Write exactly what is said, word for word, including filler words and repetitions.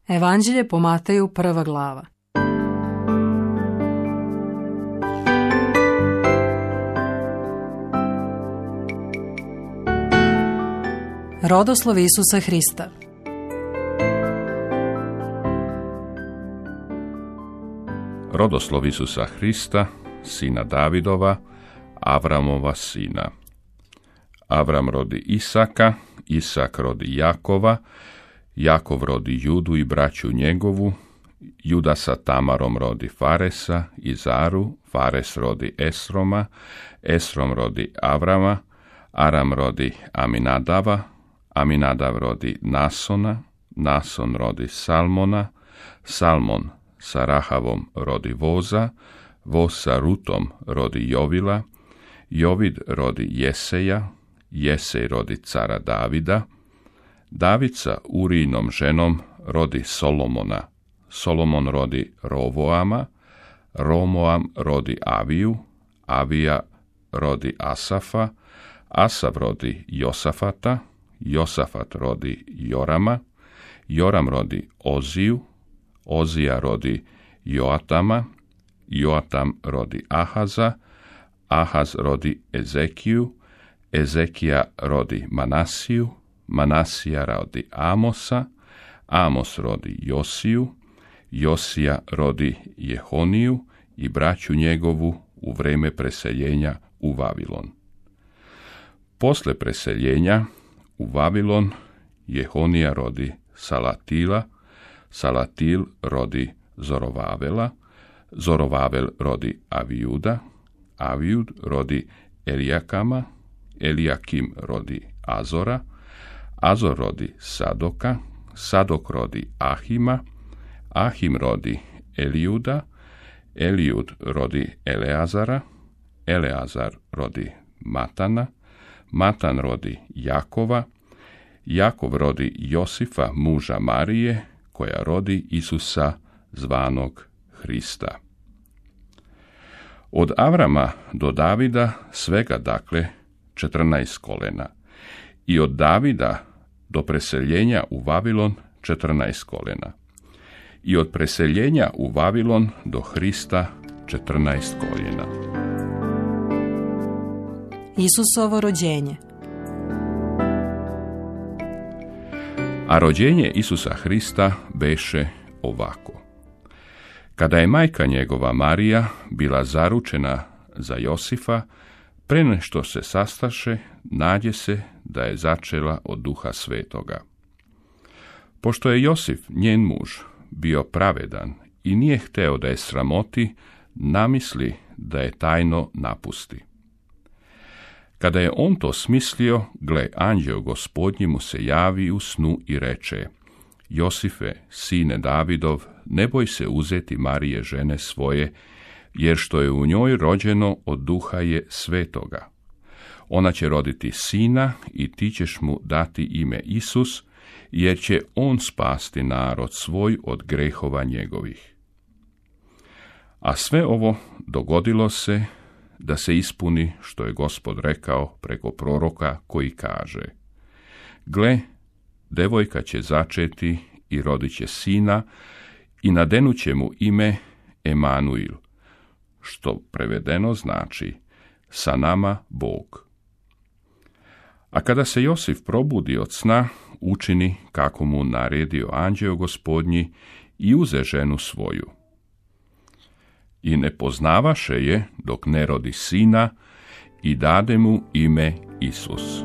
Evanđelje po Mateju, prva glava. Rodoslov Isusa Hrista. Rodoslov Isusa Hrista, sina Davidova, Avramova sina. Avram rodi Isaka, Isak rodi Jakova, Jakov rodi Judu i braću njegovu, Juda sa Tamarom rodi Faresa i Zaru, Fares rodi Esroma, Esrom rodi Avrama, Aram rodi Aminadava, Aminadav rodi Nasona, Nason rodi Salmona, Salmon sa Rahavom rodi Voza, Voz sa Rutom rodi Jovila, Jovid rodi Jeseja, Jesej rodi cara Davida, David sa Urijinom ženom rodi Solomona, Solomon rodi Rovoama, Romoam rodi Aviju, Avija rodi Asafa, Asaf rodi Josafata, Josafat rodi Jorama, Joram rodi Oziju, Ozija rodi Joatama, Joatam rodi Ahaza, Ahaz rodi Ezekiju, Ezekija rodi Manasiju, Manasija rodi Amosa, Amos rodi Josiju, Josija rodi Jehoniju i braću njegovu u vrijeme preseljenja u Vavilon. Posle preseljenja u Vavilon Jehonija rodi Salatila, Salatil rodi Zorovavela, Zorovavel rodi Avijuda, Avijud rodi Elijakama, Elijakim rodi Azora, Azor rodi Sadoka, Sadok rodi Ahima, Ahim rodi Elijuda, Elijud rodi Eleazara, Eleazar rodi Matana, Matan rodi Jakova, Jakov rodi Josifa, muža Marije, koja rodi Isusa zvanog Hrista. Od Avrama do Davida svega dakle četrnaest kolena i od Davida do preseljenja u Vavilon četrnaest kolena i od preseljenja u Vavilon do Hrista četrnaest koljena. Isusovo rođenje. A rođenje Isusa Hrista beše ovako. Kada je majka njegova Marija bila zaručena za Josifa, pre nešto se sastaše, nađe se da je začela od Duha Svetoga. Pošto je Josif, njen muž, bio pravedan i nije hteo da je sramoti, namisli da je tajno napusti. Kada je on to smislio, gle, anđeo Gospodnji mu se javi u snu i reče: Josife, sine Davidov, ne boj se uzeti Marije žene svoje, jer što je u njoj rođeno od Duha je Svetoga. Ona će roditi sina i ti ćeš mu dati ime Isus, jer će on spasti narod svoj od grehova njegovih. A sve ovo dogodilo se da se ispuni što je Gospod rekao preko proroka koji kaže: Gle, devojka će začeti i rodit će sina i nadenut će mu ime Emanuil, što prevedeno znači sa nama Bog. A kada se Josif probudi od sna, učini kako mu naredio anđeo Gospodnji i uze ženu svoju. I ne poznavaše je dok ne rodi sina i dade mu ime Isus.